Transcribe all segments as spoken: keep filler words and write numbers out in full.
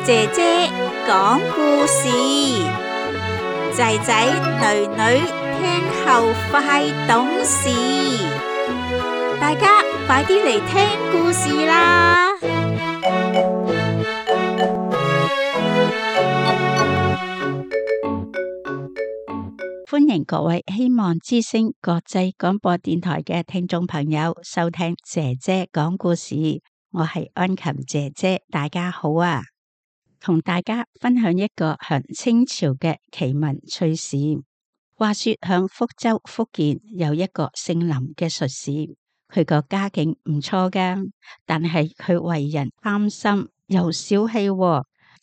姐姐講故事，仔仔女女聽後快懂事，大家快啲嚟聽故事啦！歡迎各位希望之聲國際廣播電台嘅聽眾朋友收聽姐姐講故事，我係安琴姐姐，大家好啊！同大家分享一個響清朝嘅奇聞趣事。話說響福州福建有一個姓林嘅術士，佢個家境唔錯噶，但係佢為人貪心又小氣，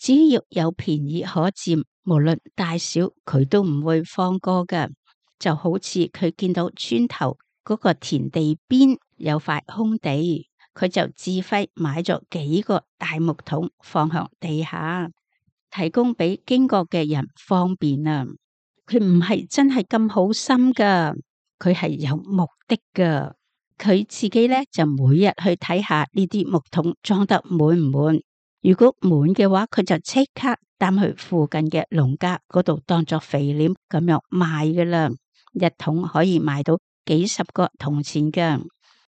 只要有便宜可佔，無論大小佢都唔會放過噶。就好似佢見到村頭嗰個田地邊有塊空地，佢就自費買咗幾個大木桶放向地下，提供俾經過嘅人方便啊！佢唔係真係咁好心噶，佢係有目的噶。佢自己咧就每日去睇下呢啲木桶裝得滿唔滿，如果滿嘅話，佢就即刻擔去附近嘅農家嗰度當作肥料咁樣賣噶啦，一桶可以賣到幾十個銅錢噶。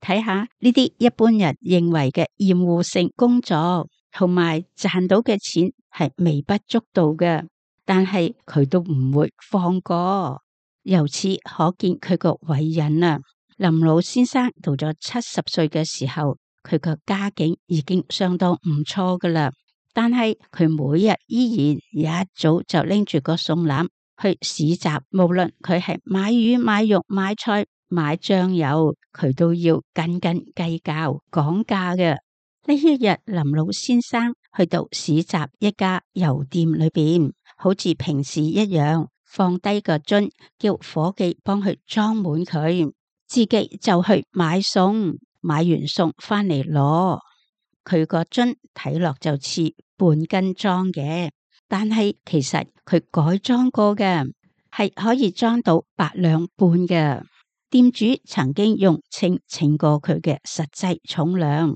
睇下呢啲一般人認為嘅厭惡性工作，同埋賺到嘅錢係微不足道嘅，但係佢都唔會放過。由此可見佢個偉人啊！林老先生到咗七十歲嘅時候，佢個家境已經相當唔錯噶啦，但係佢每日依然一早就拎住個餸籃去市集，無論佢係買魚、買肉、買菜、買醬油，佢都要斤斤計較講價嘅。呢一日，林老先生去到市集一家油店裏邊，好似平時一樣，放低個樽，叫伙計幫佢裝滿佢，自己就去買餸，買完餸翻嚟攞。佢個樽睇落就似半斤裝嘅，但係其實佢改裝過嘅，係可以裝到八兩半嘅。店主曾經用稱稱過佢嘅實際重量，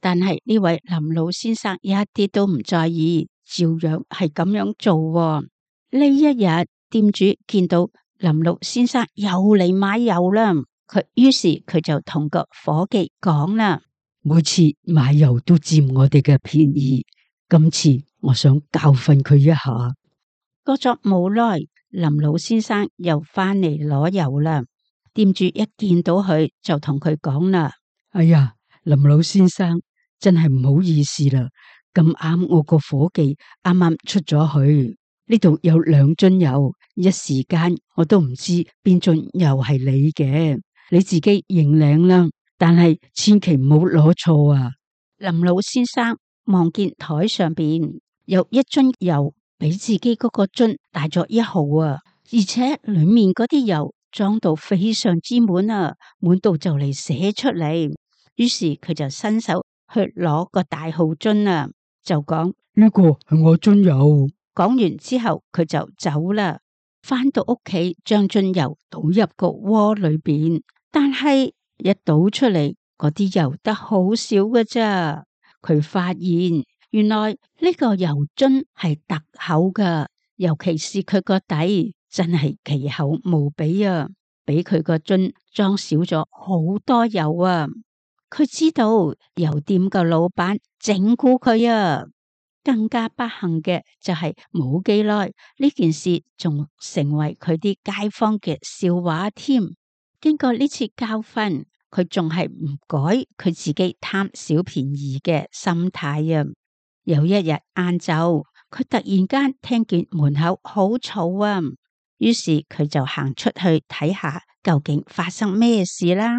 但係呢位林老先生一啲都唔在意，照樣係咁樣做。呢一日，店主見到林老先生又嚟買油啦，佢於是佢就同個伙計講啦：每次買油都佔我哋嘅便宜，今次我想教訓佢一下。過咗冇耐，林老先生又翻嚟攞油啦。店主一見到佢就同佢講啦：哎呀，林老先生真係唔好意思啦，咁啱我個伙計啱啱出咗去，呢度有兩樽油，一時間我都唔知邊樽油係你嘅，你自己認領啦，但係千祈唔好攞錯啊！林老先生望見台上邊有一樽油比自己嗰個樽大咗一毫啊，而且裏面嗰啲油裝到非常之滿啊，滿到就嚟寫出嚟。於是佢就伸手去攞個大號樽啊，就講：呢個係我樽油。講完之後，佢就走啦。翻到屋企，將樽油倒入個鍋裏邊，但係一倒出嚟，嗰啲油得好少㗎咋。佢發現原來呢個油樽係特厚㗎，尤其是佢個底。真係奇厚無比啊！比佢個樽裝少咗好多油啊！佢知道油店個老闆整蠱佢啊！更加不幸嘅就係冇幾耐，呢件事仲成為佢啲街坊嘅笑話添。經過呢次教訓，佢仲係唔改佢自己貪小便宜嘅心態啊！有一日晏晝，佢突然間聽見門口好嘈啊！於是佢就行出去睇下究竟發生咩事啦。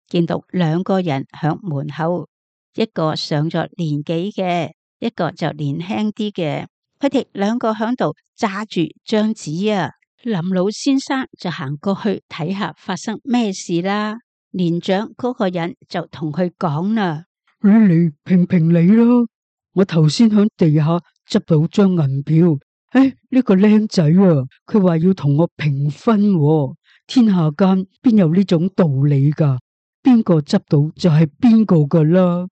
見到兩個人響門口，一個上咗年紀嘅，一個就年輕啲嘅。佢哋兩個響度揸住張紙啊。林老先生就行過去睇下發生咩事啦。年長嗰個人就同佢講啦：你嚟評評理咯，我頭先響地下執到張銀票。誒，呢個靚仔啊，佢話要同我平分喎，天下間邊有呢種道理噶？邊個執到就係邊個噶啦。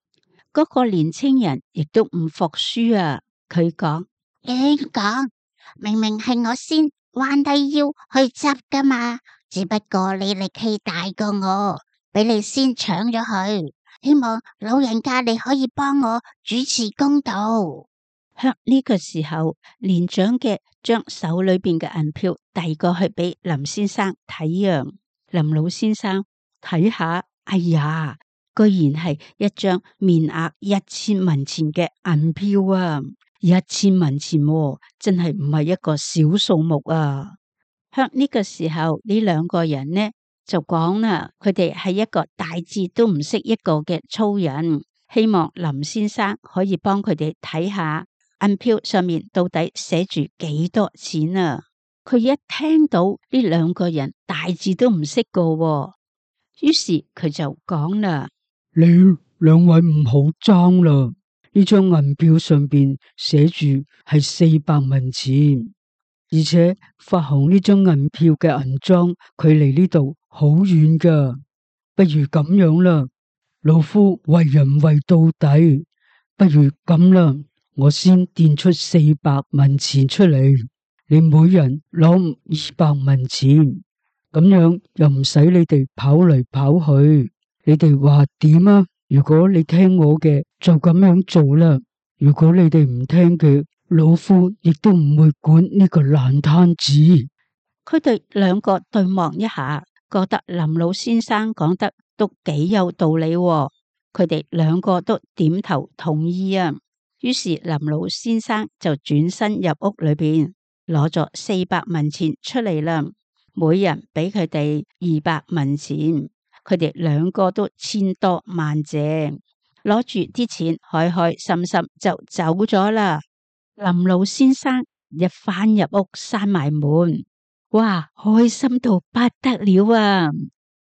嗰個年青人亦都唔服輸啊！佢講：點講？明明係我先彎低腰去執噶嘛，只不過你力氣大過我，俾你先搶咗去。希望老人家你可以幫我主持公道。喺呢個時候，年長嘅將手裏邊嘅銀票遞過去俾林先生睇啊。林老先生睇下，哎呀，居然係一張面額一千文錢嘅銀票啊！一千文錢喎，真係唔係一個小數目啊！喺呢個時候，呢兩個人呢就講啦，佢哋係一個大字都唔識一個嘅粗人，希望林先生可以幫佢哋睇下銀票上面到底寫住幾多錢啊！佢一聽到呢兩個人大字都唔識個喎，於是佢就講啦：你兩位唔好爭啦！呢張銀票上邊寫住係四百文錢，而且發行呢張銀票嘅銀莊距離呢度好遠噶。不如咁樣啦，老夫為人為到底，不如咁啦，我先墊出四百文錢出嚟，你每人攞二百文錢，咁樣又唔使你哋跑嚟跑去。你哋話點啊？如果你聽我嘅，就咁樣做啦。如果你哋唔聽嘅，老夫亦都唔會管呢個爛攤子。佢哋兩個對望一下，覺得林老先生講得都幾有道理喎。佢哋兩個都點頭同意啊。於是林老先生就轉身入屋裏邊，攞咗四百文錢出嚟啦，每人俾佢哋二百文錢。佢哋兩個都千多萬謝，攞住啲錢開開心心就走咗啦。林老先生一返入屋閂埋門，哇，開心到不得了啊！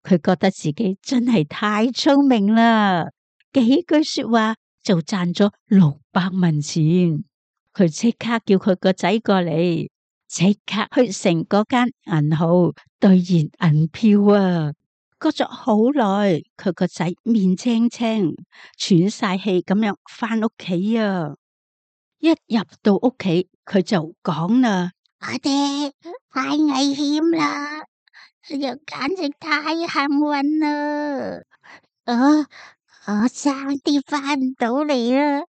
佢覺得自己真係太聰明啦，幾句說話就賺咗六百文錢。佢即刻叫佢個仔過嚟，即刻去城嗰間銀行兌現銀票啊！過咗好耐，佢個仔面青青、喘晒氣咁樣返屋企啊！一入到屋企，佢就講啦：我哋太危險啦，又簡直太幸運啦！我我爭啲返唔到嚟啦，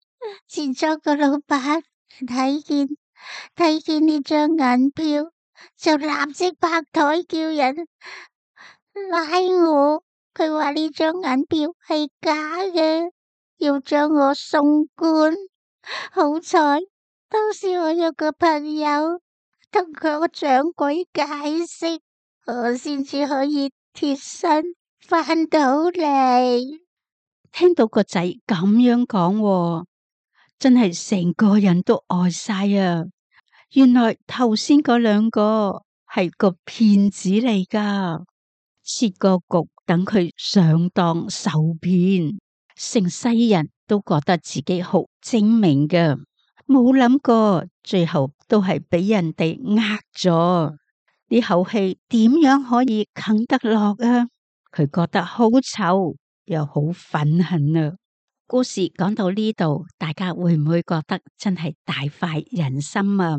前咗個老闆睇見睇見呢張銀票，就立即拍台叫人拉我，佢話呢張銀票係假嘅，要將我送官。好彩當時我有個朋友同個掌櫃解釋，我先至可以脫身返到嚟。聽到個仔咁樣講，真係成個人都呆晒啊！原來頭先嗰兩個係個騙子嚟噶。設個局等佢上當受騙，成世人都覺得自己好精明嘅，冇諗過最後都係俾人哋呃咗。呢口氣點樣可以啃得落啊？佢覺得好臭又好憤恨啊！故事講到呢度，大家會唔會覺得真係大快人心啊？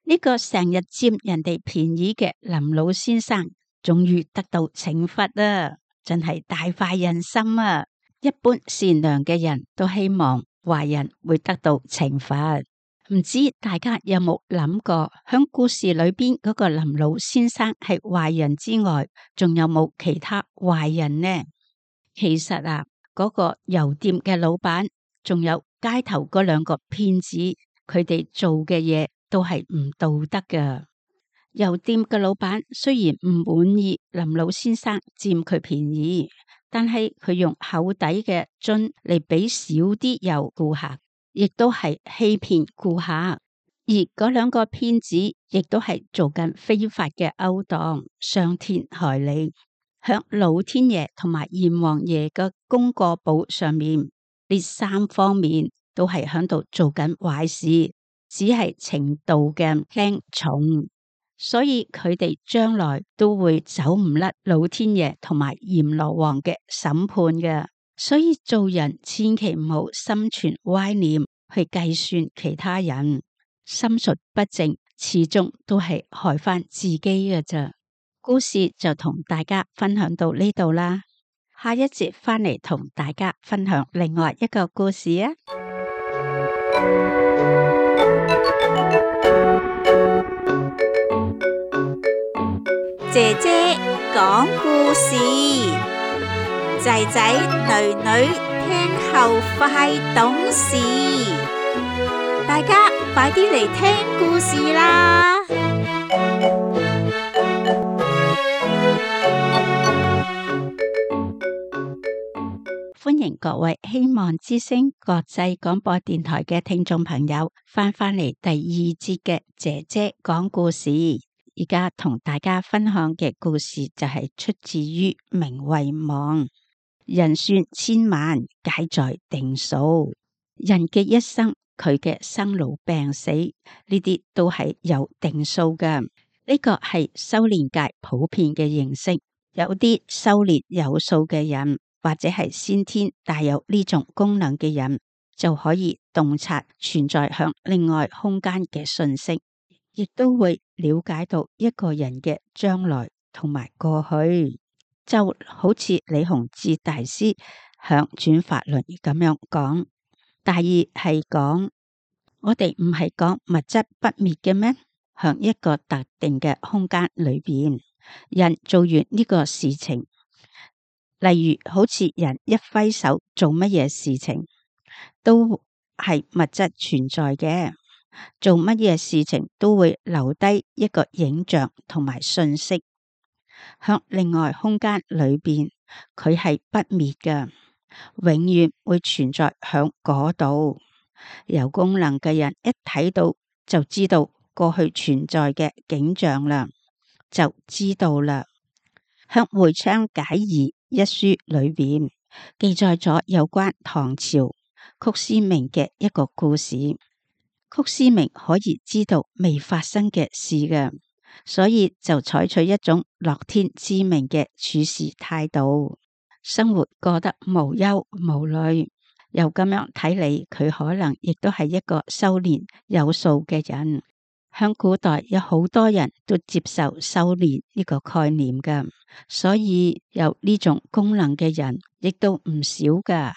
呢個成日佔人哋便宜嘅林老先生，終於得到懲罰啦，真係大快人心啊！一般善良嘅人都希望壞人會得到懲罰，唔知大家有冇諗過，響故事裏邊嗰個林老先生係壞人之外，仲有冇其他壞人呢？其實啊，嗰個油店嘅老闆，仲有街頭嗰兩個騙子，佢哋做嘅嘢都係唔道德㗎。油店嘅老闆雖然唔滿意林老先生佔佢便宜，但係佢用厚底嘅樽嚟俾少啲油顧客，亦都係欺騙顧客。而嗰兩個騙子亦都係做緊非法嘅勾當，傷天害理。響老天爺同埋閻王爺嘅功過簿上面，呢三方面都係響度做緊壞事，只係程度嘅輕重。所以佢哋將來都會走唔甩老天爺同埋閻羅王嘅審判嘅。所以做人千祈唔好心存歪念去計算其他人，心術不正，始終都係害翻自己嘅咋。故事就同大家分享到呢度啦，下一節翻嚟同大家分享另外一個故事啊！姐姐講故事，仔仔女女聽後快懂事，大家快啲嚟聽故事啦！歡迎各位希望之聲國際廣播電台嘅聽眾朋友翻返嚟第二節嘅姐姐講故事。而家同大家分享嘅故事就係出自於名為網。人算千萬，皆在定數。人嘅一生，佢嘅生老病死呢啲都係有定數嘅。呢個係修煉界普遍嘅認識。有啲修煉有數嘅人，或者係先天帶有呢種功能嘅人，就可以洞察存在向另外空間嘅信息，亦都會了解到一個人嘅將來同埋過去。就好似李洪志大師響轉法輪咁樣講，大意係講我哋唔係講物質不滅嘅咩？響一個特定嘅空間裏邊，人做完呢個事情，例如好似人一揮手做乜嘢事情，都係物質存在嘅。做乜嘢事情都會留低一個影像同埋信息，響另外空間裏邊，佢係不滅嘅，永遠會存在響嗰度。有功能嘅人一睇到就知道過去存在嘅景象啦，就知道啦。響《會昌解疑》一書裏邊記載咗有關唐朝曲思明嘅一個故事。曲思明可以知道未發生嘅事嘅，所以就採取一種樂天知命嘅處事態度，生活過得無憂無慮。又咁樣睇嚟，佢可能亦都係一個修煉有數嘅人。向古代有好多人都接受修煉呢個概念嘅，所以有呢種功能嘅人亦都唔少噶。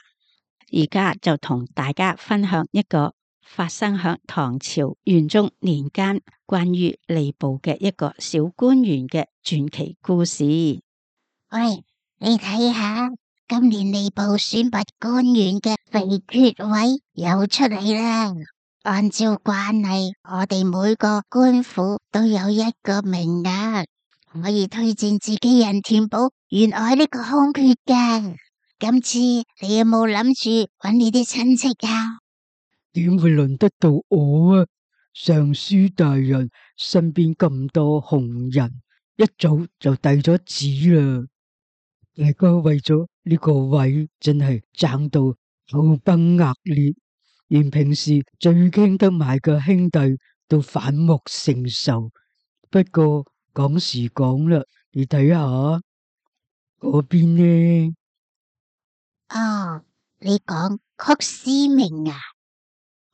而家就同大家分享一個發生響唐朝元宗年間關於吏部嘅一個小官員嘅傳奇故事。喂，你睇下，今年吏部選拔官員嘅肥缺位又出嚟啦。按照慣例，我哋每個官府都有一個名額，可以推薦自己人填補原來呢個空缺嘅。今次你有冇諗住揾你啲親戚啊？點會輪得到我啊？尚書大人身邊咁多紅人，一早就遞咗紙啦。大家為咗呢個位，真係爭到口崩額裂，連平時最傾得埋嘅兄弟都反目成仇。不過講時講啦，你睇下嗰邊呢？哦，你講曲思明啊？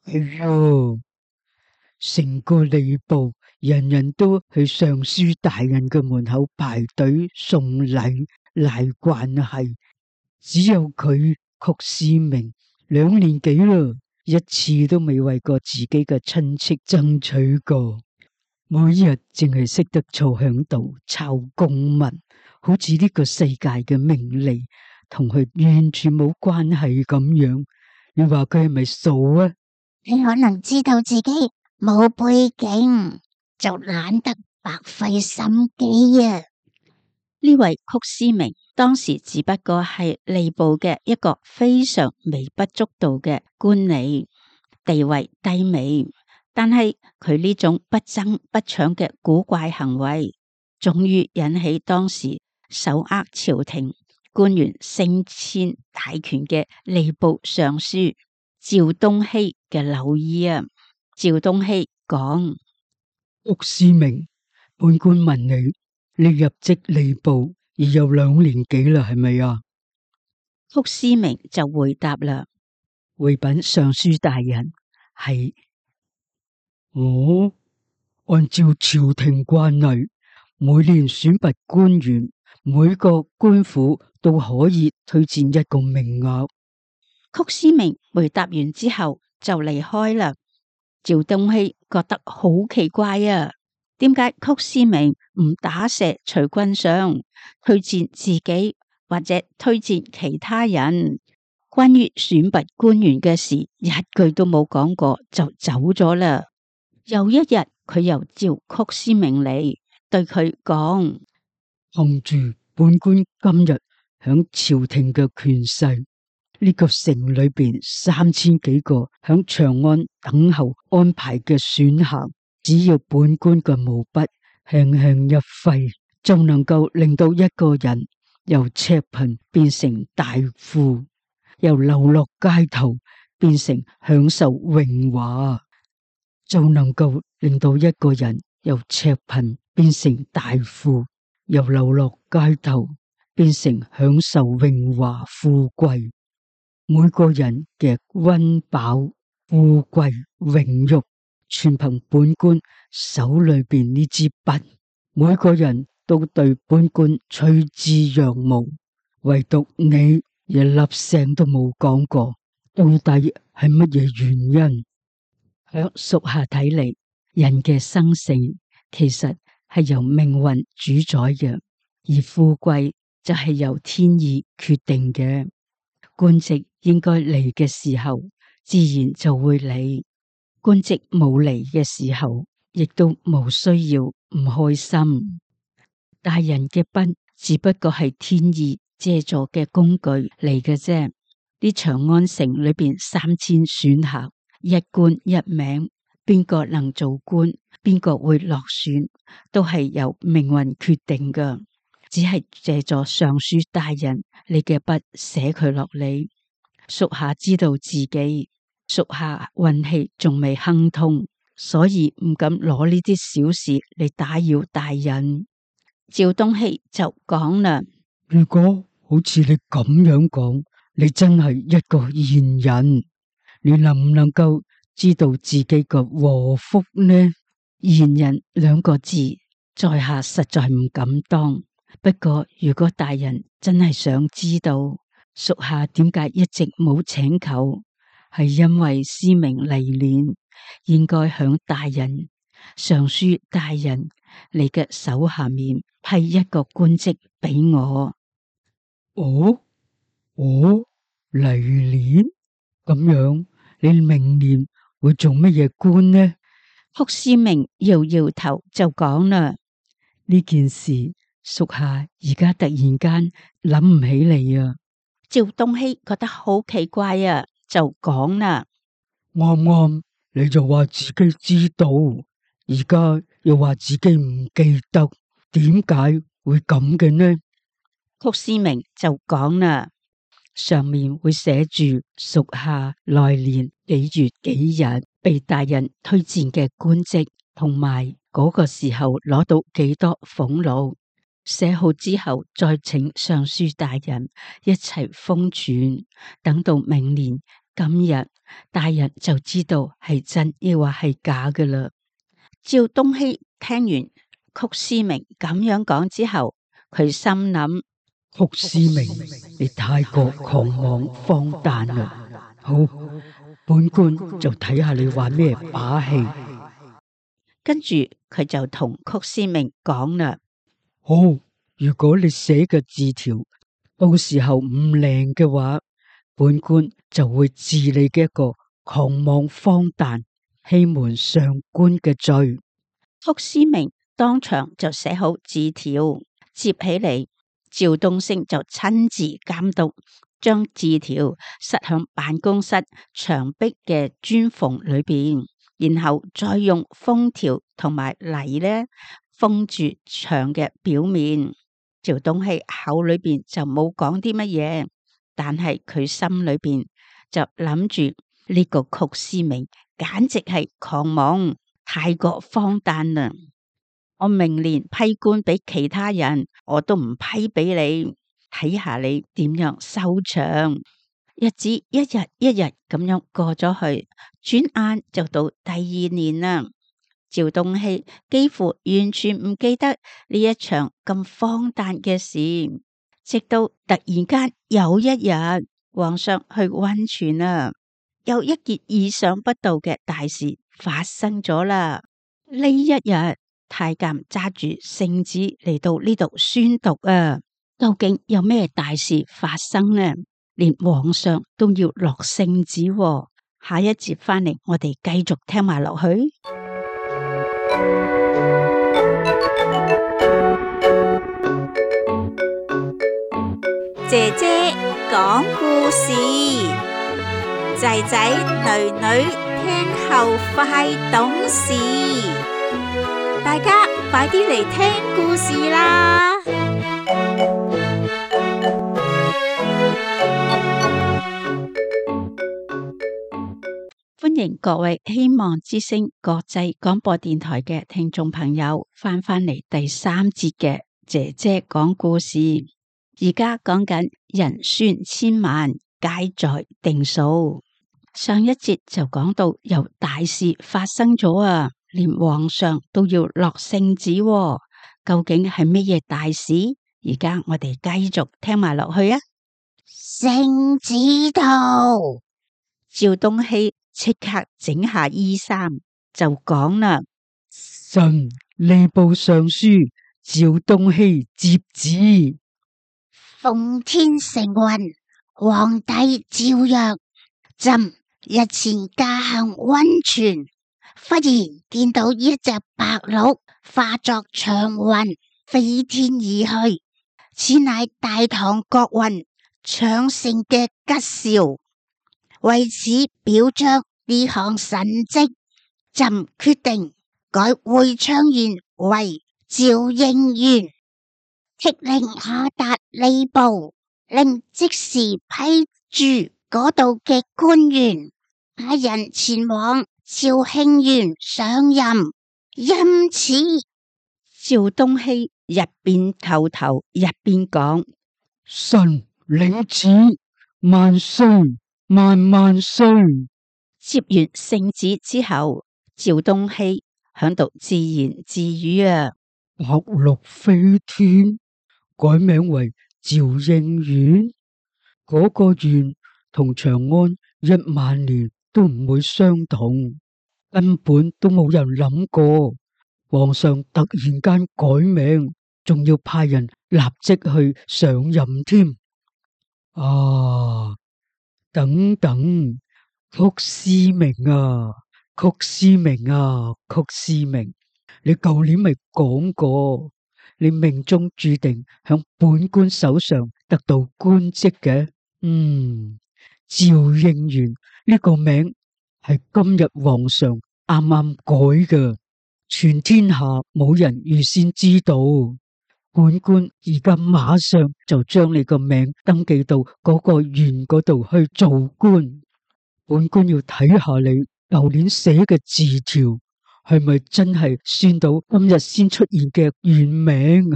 係喲，成個吏部人人都去尚書大人嘅門口排隊送禮賴關係，只有佢曲思明兩年幾啦，一次都未為過自己嘅親戚爭取過，每日淨係識得坐響度抄公文，好似呢個世界嘅名利同佢完全冇關係咁樣。你話佢係咪傻啊？你可能知道自己冇背景，就懶得白費心機啊！呢位曲思明當時只不過係吏部嘅一個非常微不足道嘅官吏，地位低微，但係佢呢種不爭不搶嘅古怪行為，終於引起當時手握朝廷官員升遷大權嘅吏部尚書趙東熙嘅留意啊。趙東熙講：曲思明本官問你，你入職吏部已有兩年幾啦，係咪啊？曲思明就回答啦：回稟尚書大人，係。我按照朝廷慣例，每年選拔官員，每個官府都可以推薦一個名額。曲思明回答完之後就離開啦。趙東熙覺得好奇怪啊，點解曲思明唔打蛇隨棍上，推薦自己或者推薦其他人？關於選拔官員嘅事，一句都冇講過就走咗啦。又一日，佢又召曲思明嚟，對佢講：憑住本官今日響朝廷嘅權勢，呢個城裏邊三千幾個響長安等候安排嘅選校，只要本官嘅毛筆輕輕一揮，就能夠令到一個人由赤貧變成大富，由流落街頭變成享受榮華，就能夠令到一個人由赤貧變成大富，由流落街頭變成享受榮華富貴。每個人嘅溫飽、富貴、榮辱，全憑本官手裏邊呢支筆。每個人都對本官趨之若鶩，唯獨你一粒聲都冇講過，到底係乜嘢原因？響屬下睇嚟，人嘅生死其實係由命運主宰嘅，而富貴就係由天意決定嘅。官職應該嚟嘅時候，自然就會嚟；官職冇嚟嘅時候，亦都冇需要唔開心。大人嘅筆只不過係天意借助嘅工具嚟嘅啫。啲長安城裏邊三千選校，一官一名，邊個能做官，邊個會落選，都係由命運決定噶。只係借助尚書大人你嘅筆寫佢落嚟。屬下知道自己屬下運氣仲未亨通，所以唔敢攞呢啲小事嚟打擾大人。趙東熙就講啦：如果好似你咁樣講，你真係一個賢人，你能唔能夠知道自己嘅禍福呢？賢人兩個字，在下實在唔敢當。不過如果大人真係想知道，屬下點解一直冇請求，係因為司明嚟年應該響大人尚書大人你嘅手下面批一個官職俾我。哦，哦，嚟年咁樣，你明年會做乜嘢官呢？曲思明搖搖頭就講啦：呢件事屬下而家突然間諗唔起嚟啊！趙東熙覺得好奇怪啊，就講啦：啱啱你就話自己知道，而家又話自己唔記得，點解會咁嘅呢？曲思明就講啦：上面會寫住屬下來年幾月幾日被大人推薦嘅官職，同埋嗰個時候攞到幾多俸祿。寫好之後，再請尚書大人一齊封存，等到明年今日，大人就知道係真抑或係假㗎喇。趙東熙聽完曲思明咁樣講之後，佢心諗：曲思明，你太過狂妄荒誕啦！好，本官就睇下你玩咩把戲。跟住佢就同曲思明講啦：好，如果你寫嘅字條到時候唔靚嘅話，本官就會治你嘅一個狂妄荒誕、欺瞞上官嘅罪。曲思明當場就寫好字條，接起嚟，趙東升就親自監督，將字條塞響辦公室牆壁嘅磚縫裏邊，然後再用封條同埋泥呢封住牆嘅表面。趙東熙口裏邊就冇講啲乜嘢，但係佢心裏邊就諗住呢個曲思明簡直係狂妄，太過荒誕啦。我明年批官俾其他人，我都唔批俾你，睇下你點樣收場。日子一日一日咁樣過咗去，轉眼就到第二年啦。趙東熙幾乎完全唔記得呢一場咁荒誕嘅事，直到突然間有一日，皇上去溫泉啦，有一件意想不到嘅大事發生咗啦。呢一日，太監揸住聖旨嚟到呢度宣讀啊，究竟有咩大事發生呢？連皇上都要落聖旨喎。下一節翻嚟，我哋繼續聽埋落去。姐姐講故事，仔仔女女聽後快懂事，大家快啲嚟聽故事啦！歡迎各位希望之聲國際廣播電台嘅聽眾朋友翻返嚟第三節嘅姐姐講故事。而家講緊人宣千萬，皆在定數。上一節就講到有大事發生咗啊，連皇上都要落聖旨喎。究竟係乜嘢大事？而家我哋繼續聽埋落去啊。聖旨到，趙東熙即刻整下衣衫就講啦：臣吏部尚書趙東熙接旨。奉天承運，皇帝詔曰：朕日前駕行溫泉，忽然見到一隻白鹿化作長雲飛天而去，此乃大唐國運昌盛嘅吉兆。為此表彰呢項神蹟，朕決定改會昌縣為趙應縣。敕令下達吏部，令即時批注嗰度嘅官員派人前往趙興縣上任。因此，趙東熙一邊叩頭一邊講：臣領旨，萬歲萬萬歲。接完聖旨之後，趙東熙響度自言自語啊：白鹿飛天，改名為趙應縣，嗰、那個縣同長安一萬年都唔會相同，根本都冇人諗過。皇上突然間改名，仲要派人立即去上任添。啊，等等，曲師明啊，曲師明啊，曲師明，你舊年咪講過，你命中注定響本官手上得到官職嘅。嗯，趙應元呢個名係今日皇上啱啱改嘅，全天下冇人預先知道。本官而家馬上就將你個名登記到嗰個縣嗰度去做官。本官要睇下你舊年寫嘅字條係咪真係算到今日先出現嘅縣名？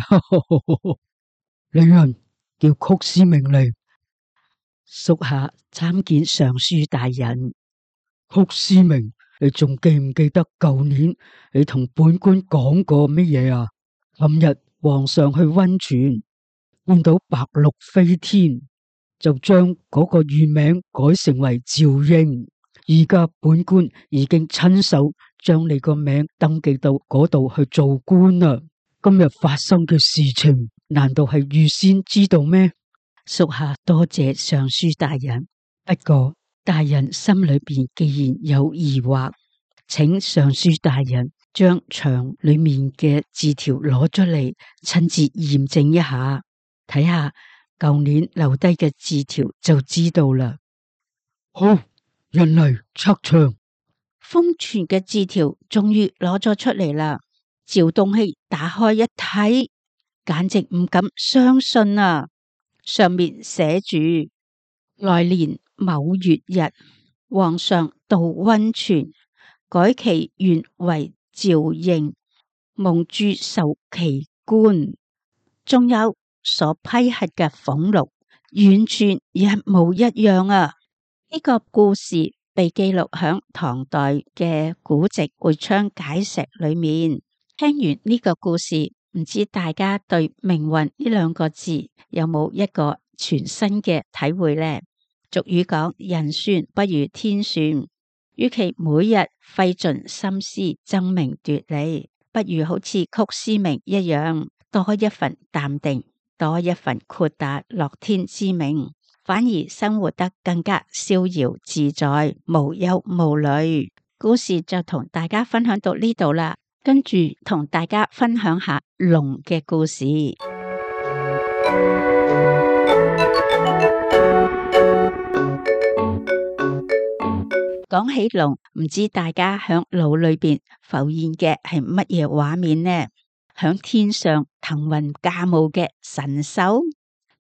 李人叫曲師明嚟。屬下參見尚書大人。曲師明，你仲記唔記得舊年你同本官講過乜嘢啊？今日皇上去溫泉，見到白鹿飛天，就將嗰個縣名改成為趙應。而家本官已經親手將你個名登記到嗰度去做官啦。今日發生嘅事情，難道係預先知道咩？屬下多謝尚書大人，不過大人心裏邊既然有疑惑，請尚書大人將牆裏面嘅字條攞出嚟，親自驗證一下，睇下舊年留低嘅字條就知道啦。好，人嚟測牆。封存嘅字條終於攞咗出嚟啦。趙東熙打開一睇，簡直唔敢相信啊！上面寫住：來年某月日，皇上到溫泉，改其縣為趙應。蒙住受奇觀，仲有所批核嘅俸祿，完全一模一樣啊！呢、這個故事被記錄響唐代嘅古籍會昌解石裏面。聽完呢個故事，唔知大家對命運呢兩個字有冇一個全新嘅體會呢？俗語講人算不如天算，與其每日費盡心思爭名奪利，不如好似曲師明一樣，多一份淡定，多一份豁達樂天之命，反而生活得更加逍遙自在，無憂無慮。故事就同大家分享到呢度啦，跟住同大家分享下龍嘅故事。講起龍，唔知大家響腦裏邊浮現嘅係乜嘢畫面呢？響天上騰雲駕霧嘅神獸，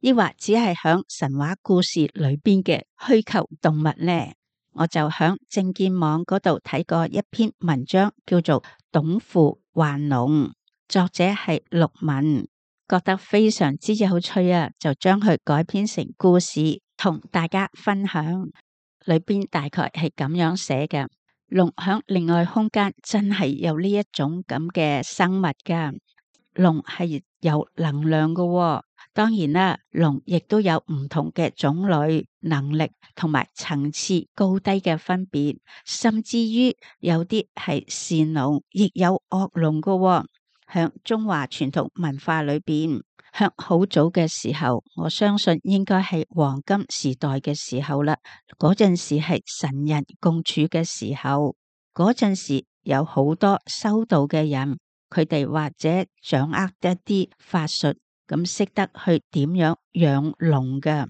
抑或只係響神話故事裏邊嘅虛構動物呢？我就響正見網嗰度睇過一篇文章，叫做《董父幻龍》，作者係陸文，覺得非常之有趣啊，就將佢改編成故事，同大家分享。裏邊大概係咁樣寫嘅：龍響另外空間真係有呢一種咁嘅生物噶，龍係有能量噶喎。當然啦，龍亦都有唔同嘅種類、能力同埋層次高低嘅分別，甚至於有啲係善龍，亦有惡龍噶喎。響中華傳統文化裏邊，響好早嘅時候，我相信應該係黃金時代嘅時候啦。嗰陣時係神人共處嘅時候，嗰陣時有好多修道嘅人，佢哋或者掌握一啲法術，咁識得去點樣養龍嘅。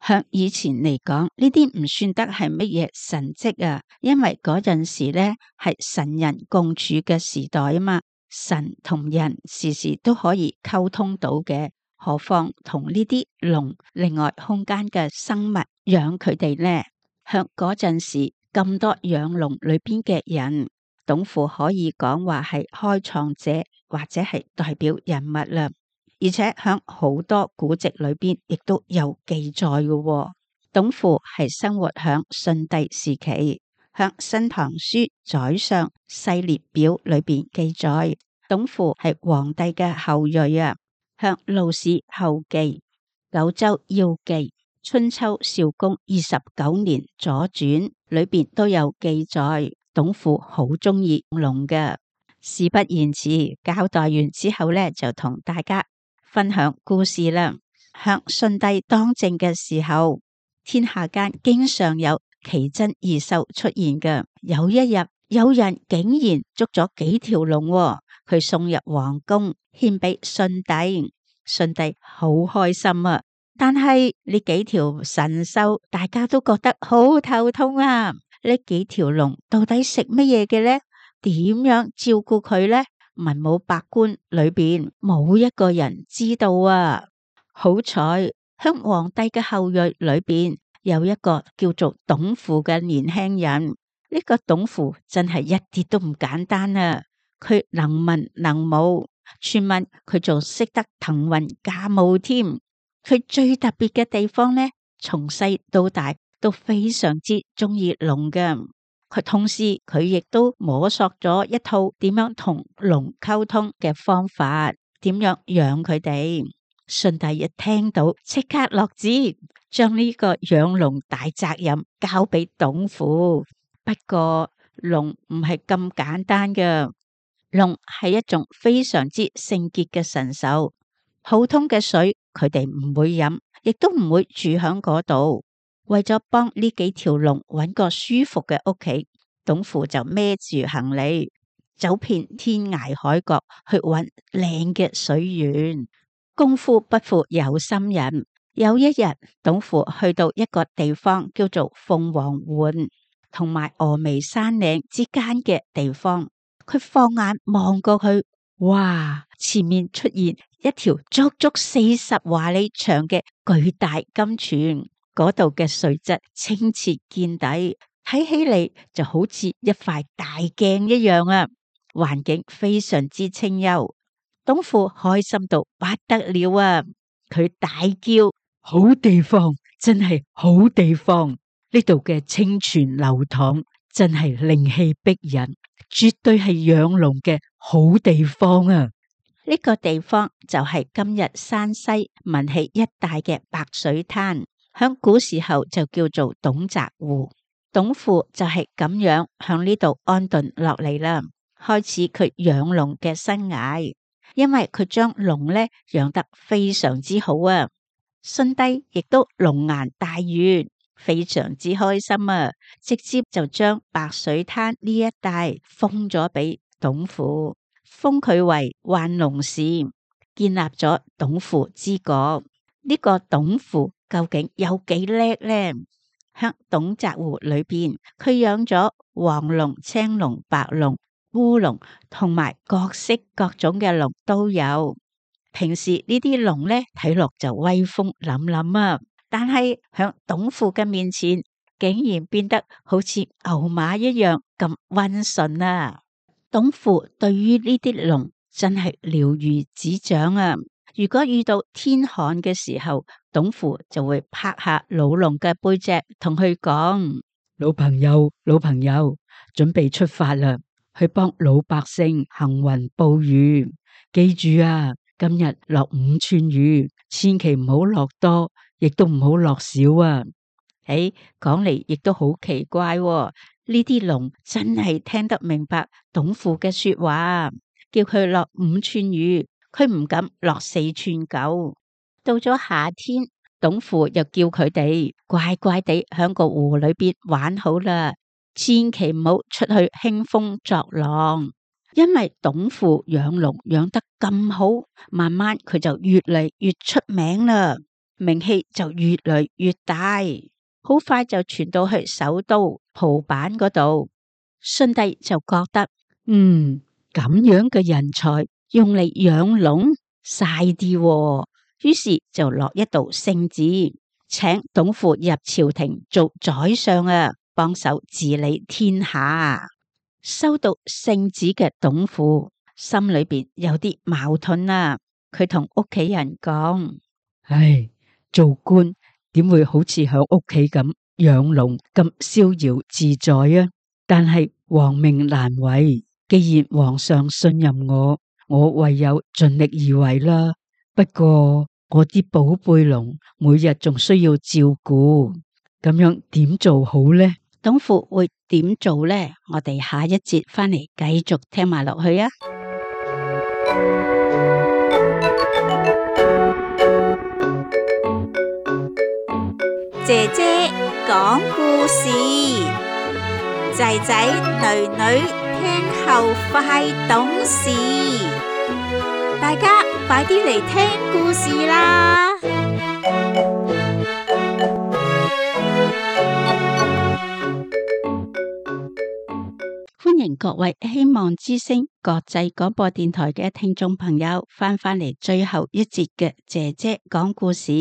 向以前嚟講，呢啲唔算得係乜嘢神蹟啊，因為嗰陣時咧係神人共處嘅時代啊嘛，神同人時時都可以溝通到嘅，何況同呢啲龍另外空間嘅生物養佢哋呢？向嗰陣時咁多養龍裏邊嘅人，董父可以講話係開創者或者係代表人物啦。而且響好多古籍裏邊亦都有記載嘅喎。董父係生活響舜帝時期，響《新唐書宰相細列表》裏邊記載，董父係皇帝嘅後裔啊。向《魯史後記》、《九州要記》、《春秋少公二十九年左傳》裏邊都有記載，董父好中意龍嘅。事不宜遲，交代完之後呢，就同大家分享故事啦。向舜帝當政嘅時候，天下間經常有奇珍異獸出現嘅。有一日，有人竟然捉咗幾條龍，佢送入皇宮獻俾舜帝。舜帝好開心啊！但係呢幾條神獸，大家都覺得好頭痛啊！呢幾條龍到底食乜嘢嘅呢？點樣照顧佢呢？文武百官裏邊冇一個人知道啊！好彩，響皇帝嘅後裔裏邊有一個叫做董父嘅年輕人。呢個董父真係一啲都唔簡單啊！佢能文能武，傳聞佢仲識得騰雲駕霧添。佢最特別嘅地方呢，從細到大都非常之中意龍嘅。佢同時佢亦都摸索咗一套點樣同龍溝通嘅方法，點樣養佢哋。舜帝一聽到，即刻落旨，將呢個養龍大責任交俾董父。不過龍唔係咁簡單嘅，龍係一種非常之聖潔嘅神獸，普通嘅水佢哋唔會飲，亦都唔會住響嗰度。為咗幫呢幾條龍揾個舒服嘅屋企，董父就孭住行李，走遍天涯海角去揾靚嘅水源。功夫不負有心人，有一日，董父去到一個地方叫做鳳凰灣同埋峨眉山嶺之間嘅地方，佢放眼望過去，哇！前面出現一條足足四十華里長嘅巨大金泉。嗰度嘅水質清澈見底，睇起嚟就好似一塊大鏡一樣啊！環境非常之清幽。董父開心到不得了啊！佢大叫：好地方，真係好地方！呢度嘅清泉流淌，真係靈氣逼人，絕對係養龍嘅好地方啊！呢個地方就係今日山西文喜一帶嘅白水灘，響古時候就叫做董澤湖。董父就係咁樣響呢度安頓落嚟啦，開始佢養龍嘅生涯。因為佢將龍咧養得非常之好啊，舜帝亦都龍顏大悅，非常之開心啊，直接就將白水灘呢一帶封咗俾董父，封佢為萬龍氏，建立咗董父之國。呢、這個董父究竟有幾叻呢？喺董澤湖裏邊，佢養咗黃龍、青龍、白龍、烏龍同埋各式各種嘅龍都有。平時呢啲龍咧睇落就威風凜凜啊，但係響董父嘅面前，竟然變得好似牛馬一樣咁溫順啊！董父對於呢啲龍真係了如指掌啊！如果遇到天旱嘅時候，董父就會拍下老龍嘅背脊，同佢講：老朋友，老朋友，準備出發啦！去幫老百姓行雲布雨，記住啊！今日落五寸雨，千祈唔好落多，亦都唔好落少啊！誒，講嚟亦都好奇怪喎，呢啲龍真係聽得明白董父嘅說話，叫佢落五寸雨，佢唔敢落四寸九。到咗夏天，董父又叫佢哋乖乖地響個湖裏邊玩好啦。千祈唔好出去興風作浪，因為董父養龍養得咁好，慢慢佢就越嚟越出名啦，名氣就越嚟越大，好快就傳到去首都蒲坂嗰度。舜帝就覺得，嗯，咁樣嘅人才用嚟養龍嘥啲喎，於是就落一道聖旨，請董父入朝廷做宰相啊，幫手治理天下。收到聖旨嘅董父心裏邊有啲矛盾啊，佢同屋企人講：唉，做官點會好似響屋企咁養龍咁逍遙自在啊？但係皇命難違，既然皇上信任我，我唯有盡力而為啦。不過我啲寶貝龍每日仲需要照顧，咁樣點做好呢？董父會點做呢？我哋下一節翻嚟繼續聽埋落去啊！姐姐講故事，仔仔女女聽後快懂事，大家快啲嚟聽故事啦！歡迎各位希望之聲國際廣播電台嘅聽眾朋友翻返嚟最後一節嘅姐姐講故事。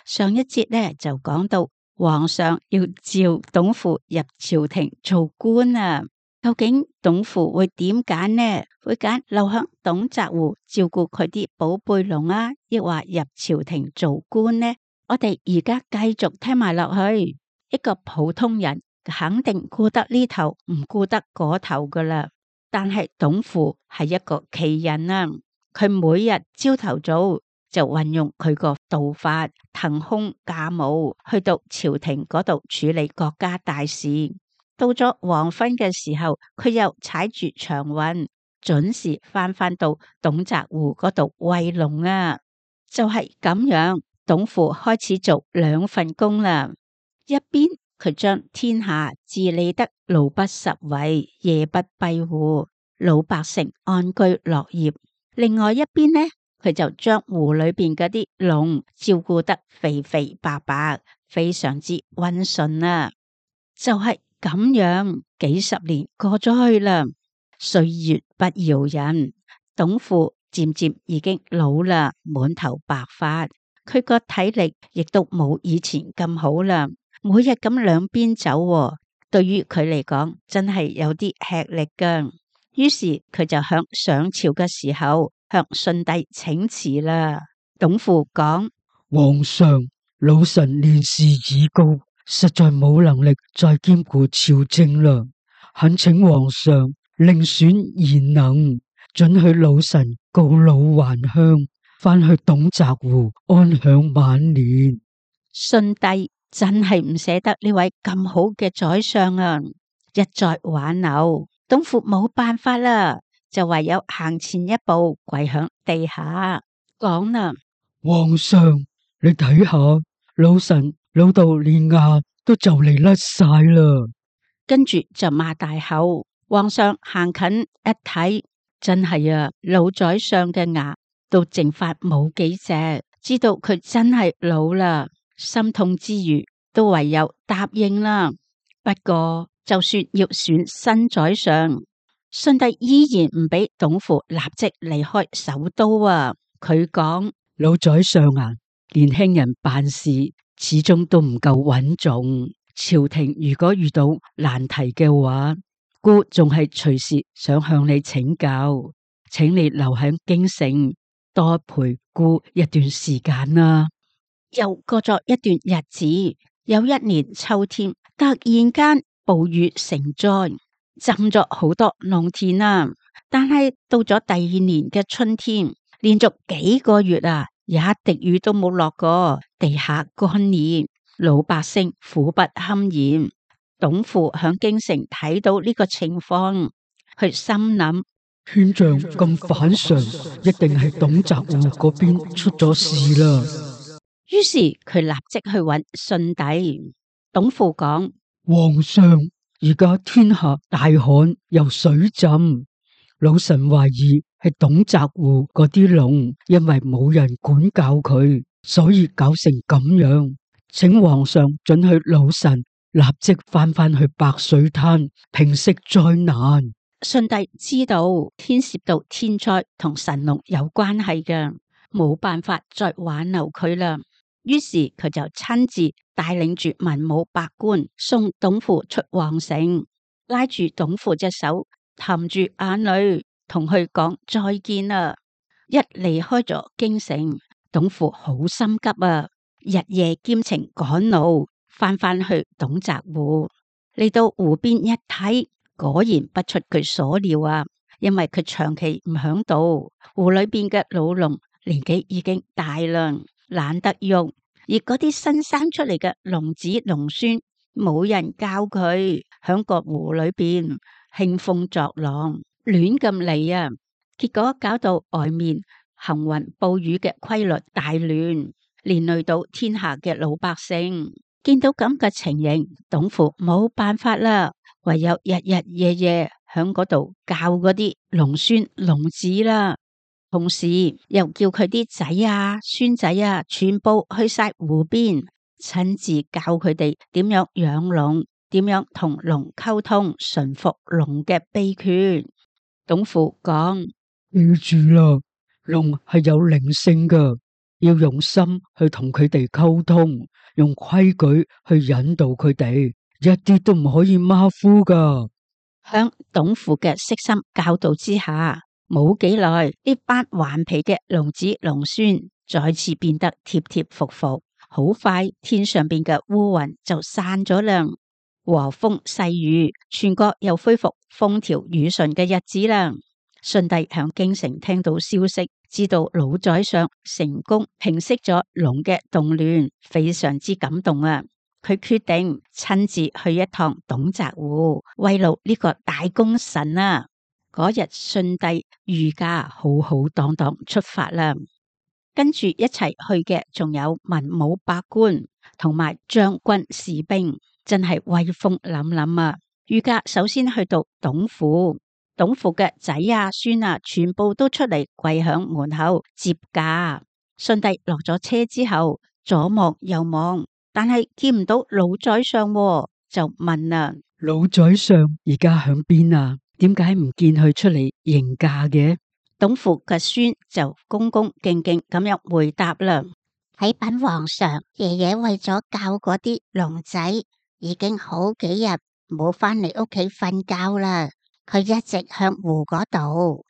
上一節呢就講到皇上要召董父入朝廷做官啊，究竟董父會點揀呢？會揀留響董澤湖照顧佢啲寶貝龍啊，抑或入朝廷做官呢？我哋而家繼續聽埋落去，一個普通人肯定顧得呢頭唔顧得嗰頭噶啦，但係董父係一個奇人啊！佢每日朝頭早就運用佢個道法騰空駕霧，去到朝廷嗰度處理國家大事。到咗黃昏嘅時候，佢又踩住長運，準時翻返到董澤湖嗰度餵龍啊！就係咁樣，董父開始做兩份工啦，一邊佢將天下治理得路不拾遺，夜不閉戶，老百姓安居樂業。另外一邊呢，佢就將湖裏邊嗰啲龍照顧得肥肥白白，非常之溫順啊！就係、是、咁樣，幾十年過咗去啦，歲月不饒人，董父漸漸已經老啦，滿頭白髮，佢個體力亦都冇以前咁好啦。每日咁兩邊走，對於佢嚟講真係有啲吃力噶。於是佢就向上朝嘅時候向舜帝請辭啦。董父講：皇上，老臣年事已高，實在冇能力再兼顧朝政啦，懇請皇上另選賢能，准許老臣告老還鄉，翻去董澤湖安享晚年。舜帝真係唔捨得呢位咁好嘅宰相啊，一再挽留，董父冇辦法啦，就唯有行前一步跪響地下講啦：皇上，你睇下，老臣老到連牙都就嚟甩晒啦。跟住就擘大口。皇上行近一睇，真係啊，老宰相嘅牙都剩翻冇幾隻，知道佢真係老啦，心痛之餘都唯有答應啦。不過就算要選新宰相，舜帝依然唔俾董父立即離開首都啊。佢講：老宰相啊，年輕人辦事始終都唔夠穩重，朝廷如果遇到難題嘅話，孤仲係隨時想向你請教，請你留喺京城多陪孤一段時間啦。又過咗一段日子，有一年秋天，突然間暴雨成災，浸咗好多農田啊。但係到咗第二年嘅春天，連續幾個月啊，一滴雨都冇落過，地下乾熱，老百姓苦不堪言。董父響京城睇到呢個情況，佢心諗天象咁反常，一定係董澤湖嗰邊出咗事啦。於是佢立即去揾舜帝。董父講：皇上，而家天下大旱又水浸，老臣懷疑係董澤湖嗰啲龍，因為冇人管教佢，所以搞成咁樣。請皇上准許老臣立即翻返去白水灘平息災難。舜帝知道牽涉到天災同神龍有關係嘅，冇辦法再挽留佢啦。於是佢就親自帶領住文武百官送董父出皇城，拉住董父隻手，含住眼淚同佢講再見啦。一離開咗京城，董父好心急啊，日夜兼程趕路，翻返去董澤湖。嚟到湖邊一睇，果然不出佢所料啊，因為佢長期唔響度，湖裏邊嘅老龍年紀已經大啦，懶得用，而嗰啲新生出嚟嘅龍子龍孫，冇人教佢，響個湖裏邊興風作浪，亂咁嚟啊！結果搞到外面行雲暴雨嘅規律大亂，連累到天下嘅老百姓。見到咁嘅情形，董父冇辦法啦，唯有日日夜夜響嗰度教嗰啲龍孫龍子啦，同時又叫佢啲仔啊孫仔啊全部去晒湖邊，親自教佢哋點樣養龍，點樣同龍溝通，馴服龍嘅秘訣。董父講：記住啦，龍係有靈性噶，要用心去同佢哋溝通，用規矩去引導佢哋，一啲都唔可以馬虎噶。響董父嘅悉心教導之下，冇幾耐，呢班頑皮嘅龍子龍孫再次變得貼貼服服。好快，天上邊嘅烏雲就散咗啦，和風細雨，全國又恢復風調雨順嘅日子啦。舜帝響京城聽到消息，知道老宰相成功平息咗龍嘅動亂，非常之感動啊！佢決定親自去一趟董澤湖，慰勞呢個大功臣啊！嗰日舜帝御駕浩浩蕩蕩出發啦，跟住一齊去嘅仲有文武百官同埋將軍士兵，真係威風凜凜啊！御駕首先去到董府。董父嘅仔啊孫啊全部都出嚟跪響門口接駕。舜帝落咗車之後，左望右望，但係見唔到老宰相，就問啦：老宰相而家響邊啊？點解唔見佢出嚟迎駕嘅？董父嘅孫就恭恭敬敬咁樣回答啦：啟稟皇上，爺爺為咗教嗰啲龍仔，已經好幾日冇返嚟屋企瞓覺啦。佢一直向湖嗰度。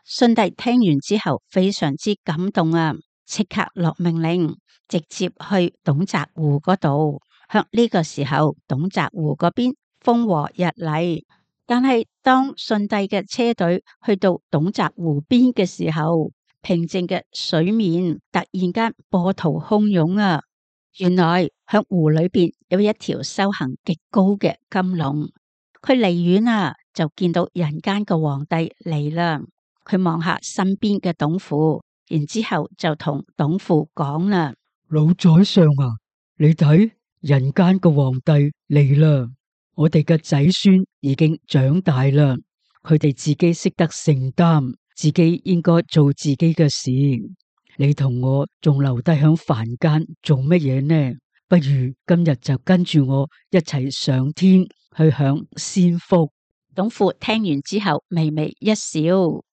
舜帝聽完之後非常之感動啊，即刻落命令，直接去董澤湖嗰度。向呢個時候，董澤湖嗰邊風和日麗，但係當舜帝嘅車隊去到董澤湖邊嘅時候，平靜嘅水面突然間波濤洶湧啊！原來響湖裏邊有一條修行極高嘅金龍，佢離遠啊就見到人間嘅皇帝嚟啦。佢望下身邊嘅董父，然之後就同董父講啦：老宰相啊，你睇人間嘅皇帝嚟啦！我哋嘅仔孫已經長大啦，佢哋自己識得承擔，自己應該做自己嘅事。你同我仲留低響凡間做乜嘢呢？不如今日就跟住我一齊上天去享仙福。董父聽完之後微微一笑。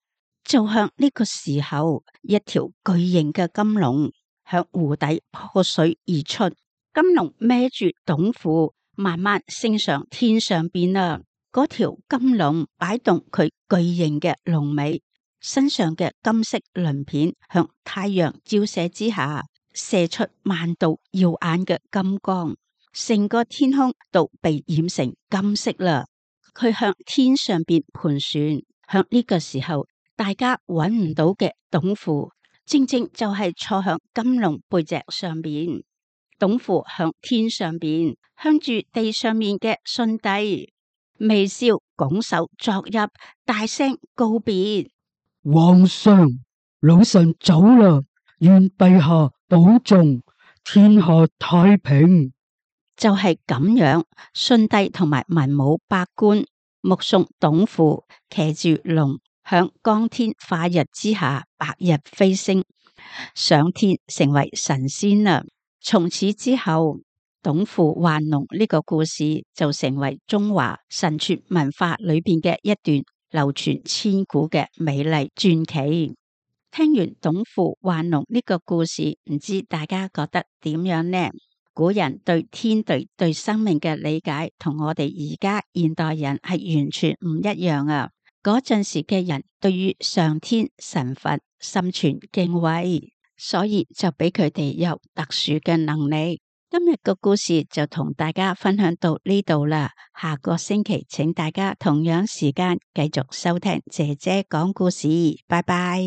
就向呢個時候，一條巨型嘅金龍向湖底破水而出。金龍孭住董父，慢慢升上天上邊啦。嗰條金龍擺動佢巨型嘅龍尾，身上嘅金色鱗片向太陽照射之下，射出萬道耀眼嘅金光，成個天空都被染成金色啦。佢向天上邊盤旋，向呢個時候。大家揾唔到嘅董父，正正就係坐響金龍背脊上邊。董父向天上邊，向住地上面嘅舜帝微笑拱手作揖，大聲告別：皇上，老臣走啦，願陛下保重，天下太平。就係咁樣，舜帝同埋文武百官目送董父騎住龍。響光天化日之下，白日飛升上天，成為神仙啦。從此之後，董父還龍呢個故事就成為中華神傳文化裏邊嘅一段流傳千古嘅美麗傳奇。聽完董父還龍呢個故事，唔知大家覺得點樣呢？古人對天地對生命嘅理解，同我哋而家現代人係完全唔一樣啊！嗰陣時嘅人對於上天神佛心存敬畏，所以就俾佢哋有特殊嘅能力。今日個故事就同大家分享到呢度啦，下個星期請大家同樣時間繼續收聽姐姐講故事，拜拜。